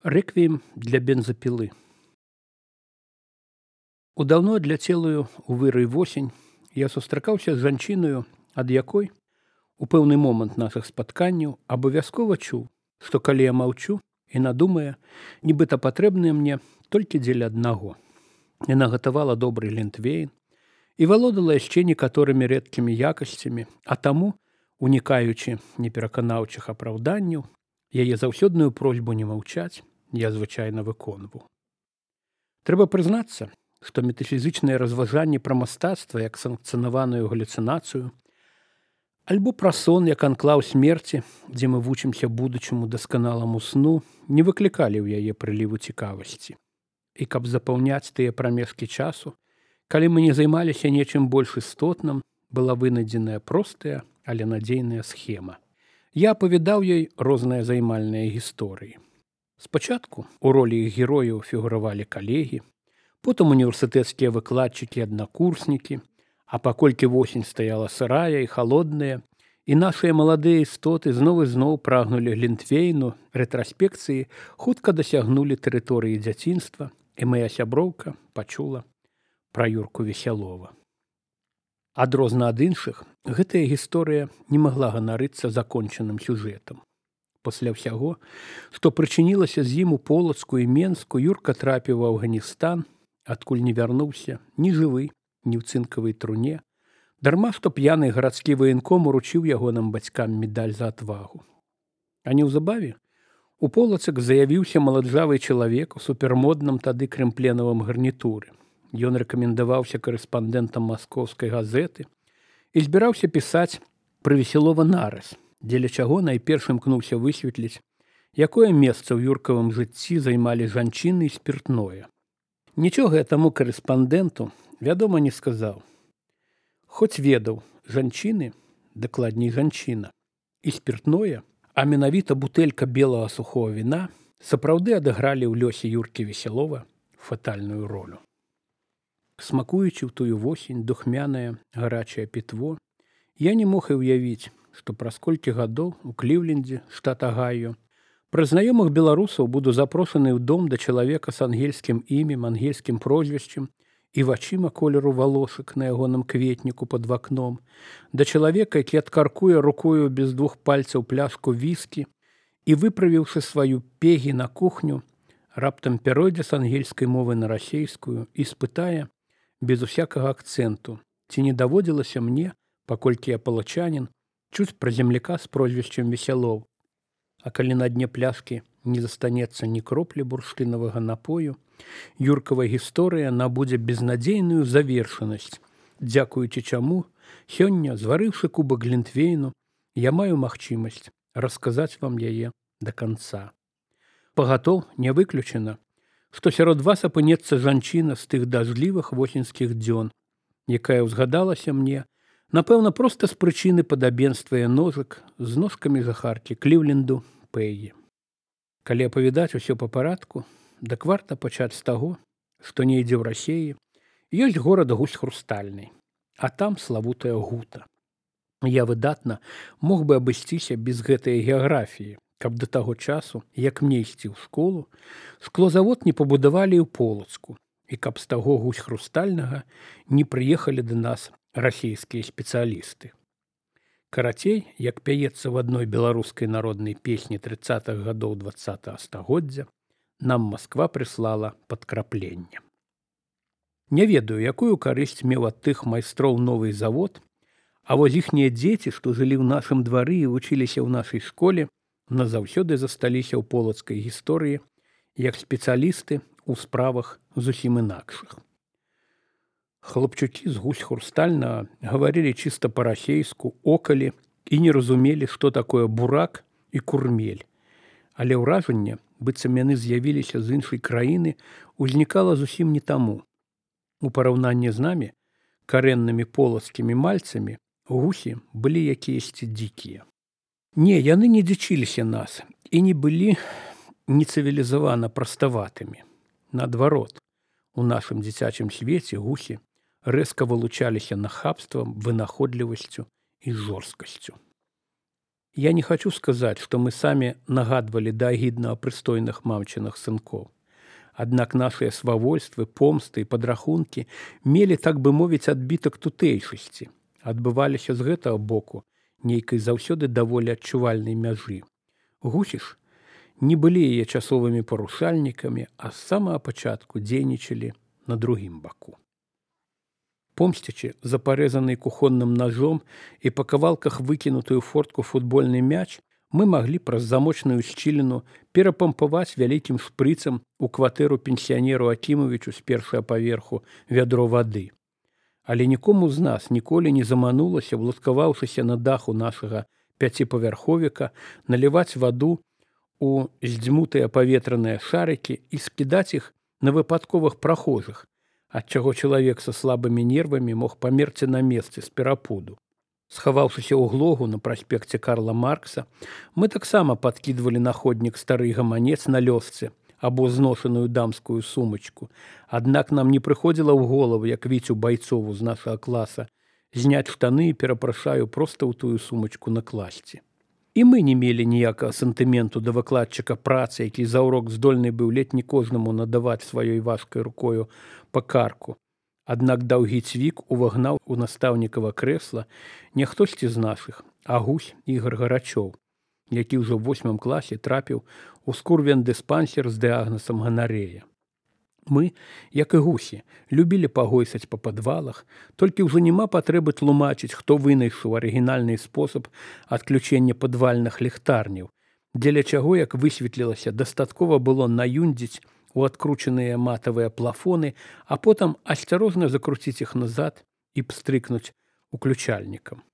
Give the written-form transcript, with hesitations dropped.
Рэквіем для бензапілы. У даўно адляцелую у вырай восень я сустракаўся з жанчынаю, ад якой у пэўны момант нашых спатканняў абавязкова чуў, што калі я маўчу, яна думае, нібыта патрэбныя мне толькі дзеля аднаго. Яна гатавала добры глінтвейн і валодала яшчэ некаторымі рэдкімі якасцямі, а таму, унікаючы непераканаўчых апраўданняў, яе заўсёдную просьбу не маўчаць я звычайна выконваў. Трэба прызнацца, што метафізычнае разважанне пра мастацтва як санкцыянаваную галюцынацыю, альбо пра сон як анклаў смерці, дзе мы вучымся будучаму дасканаламу сну, не выклікалі ў яе прыліву цікавасці. І каб запаўняць тыя прамежкі часу, калі мы не займаліся нечым больш істотным, была вынайдзеная простая, але надзейная схема. Я апавядаў ёй розныя займальныя гісторыі. Спачатку у ролі іх герояў фігуравалі калегі, потым універсітэцкія выкладчыкі, аднакурснікі, а паколькі восень стаяла сырая і халодная, і нашыя маладыя істоты зноў і зноў прагнулі глінтвейну, рэтраспекцыі хутка дасягнулі тэрыторыі дзяцінства, і мая сяброўка пачула пра Юрку Весялова. Адрозна ад іншых, гэтая гісторыя не магла ганарыцца закончаным сюжэтам. Пасля ўсяго, што прычынілася з ім у Полацку і Менску, Юрка трапіў у Афганістан, адкуль не вярнуўся ні жывы, ні ў цынкавай труне, дарма што п'яны гарадскі ваенком уручыў ягоным бацькам медаль за адвагу. А неўзабаве у Полацак заявіўся маладжавы чалавек у супермодным тады крэмпленавым гарнітуры. Ён рэкамендаваўся карэспандэнтам маскоўскай газеты і збіраўся пісаць пра Весялова нарыс, дзеля чаго найперш імкнуўся высветліць, якое месца ў юркавым жыцці займалі жанчыны і спіртное. Нічога я таму карэспандэнту, вядома, не сказаў. Хоць ведаў, жанчыны, дакладней жанчына, і спіртное, а менавіта бутэлька белага сухого віна, сапраўды адыгралі ў лёсе Юркі Весялова фатальную ролю. Смакуючы ў тую восень духмянае гарачае пітво, я не мог і ўявіць, што праз колькі гадоў у Кліўлендзе, штат Агайо, праз знаёмых беларусаў буду запрошаны ў дом да чалавека з ангельскім імем, ангельскім прозвішчам і вачыма колеру валосак на ягоным кветніку пад вакном, да чалавека, які адкаркуе рукою без двух пальцаў пляшку віскі і, выправіўшы сваю пегі на кухню, раптам пяройдзе з ангельскай мовы на расейскую і спытае, без усякага акцэнту, ці не даводзілася мне, паколькі я палачанін, чуць пра земляка з прозвішчам Весялоў. А калі на дне пляшкі не застанецца ні кроплі бурштынавага напою, юркава гісторыя набудзе безнадзейную завершанасць, дзякуючы чаму сёння, зварыўшы кубак глінтвейну, я маю магчымасць расказаць вам яе да канца. Пагатоў не выключана, што сярод вас апынецца жанчына з тых дажджлівых восеньскіх дзён, якая ўзгадалася мне, напэўна, проста з прычыны падабенства ножак з ножкамі жахаркі Кліўленду Пэгі. Калі апавядаць усё па парадку, дык варта пачаць з таго, што недзе ў Расеі ёсць горад Гусь Хрустальны, а там славутая Гута. Я выдатна мог бы абысціся без гэтай геаграфіі, каб да таго часу, як мне ісці ў школу, шклозавод не пабудавалі ў Полацку, і каб з таго Гусь Хрустальнага не прыехалі да нас расійскія спецыялісты. Карацей, як пяецца в адной беларускай народнай песні 30-х гадоў 20-го стагоддзя, нам Масква прыслала падкрапленне. Не ведаю, якую карысць меў ад тых майстроў новы завод, а вось іхнія дзеці, што жылі ў нашым двары і вучыліся ў нашай школе, назаўсёды засталіся ў полацкай гісторыі як спецыялісты ў справах зусім інакшых. Хлопчукі з Гусь Хрустальнага гаварылі чыста па-расейску, окалі і не разумелі, што такое бурак і курмель. Але ўражанне, быццам яны з'явіліся з іншай краіны, узнікала зусім не таму. У параўнанні з намі, карэннымі полацкімі мальцамі, гусі былі якіясьці дзікія. Не, яны не дзічыліся нас і не былі нецывілізавана праставатымі. Наадварот, у нашым дзіцячым свеце гусі рэзка вылучаліся нахабствам, вынаходлівасцю і жорсткасцю. Я не хочу сказать, что мы сами нагадывали до агідна о прыстойных мамчынах сынков. Аднак нашыя свавольствы, помсты і падрахункі мелі, так бы мовіць, адбітак тутэйшасці. Адбываліся з гэтага боку нейкай заўсёды даволі адчувальнай мяжы. Гусі ж не былі яе часовымі парушальнікамі, а з самага пачатку дзейнічалі на другім баку. Помсцячы за парэзаны кухонным ножом і па кавалках выкінутую фортку футбольны мяч, мы маглі праз замочную шчыліну перапампаваць вялікім шпрыцам у кватэру пенсіянеру Акімавічу з першага паверху вядро вады. Але нікому з нас ніколі не заманулася, власкаваўшыся на даху нашага пяціпавярховіка, наліваць ваду у здзьмутыя паветраныя шарыкі і скідаць іх на выпадковых прахожых, ад чаго чалавек са слабымі нервамі мог памерці на месцы з перапуду. Схаваўшыся ў глогу на праспекце Карла Маркса, мы таксама падкідвалі на ходнік стары гаманец на лёсцы або зношаную дамскую сумачку. Аднак нам не прыходзіла ў голову, як Віцю Байцову з нашага класа, зняць штаны і, перапрашаю, проста ў тую сумачку накласці. І мы не мелі ніякага сантыменту да выкладчыка працы, які за ўрок здольны быў ледь не кожнаму надаваць сваёй важкай рукою па карку. Аднак даўгі цвік увагнаў у настаўнікава крэсла не хтосьці з нашых, а гусь Ігор Гарачоў, які ўжо ў 8 класе трапіў у скурвен-дыспансер з дыягназам ганарэя. Мы, як і гусі, любілі пагойсаць па падвалах, толькі ўжо няма патрэбы тлумачыць, хто вынайшаў арыгінальны спосаб адключення падвальных ліхтарняў, дзеля чаго, як высветлілася, дастаткова было наюндзіць у адкручаныя матавыя плафоны, а потым асцярожна закруціць іх назад і пстрыкнуць уключальнікам.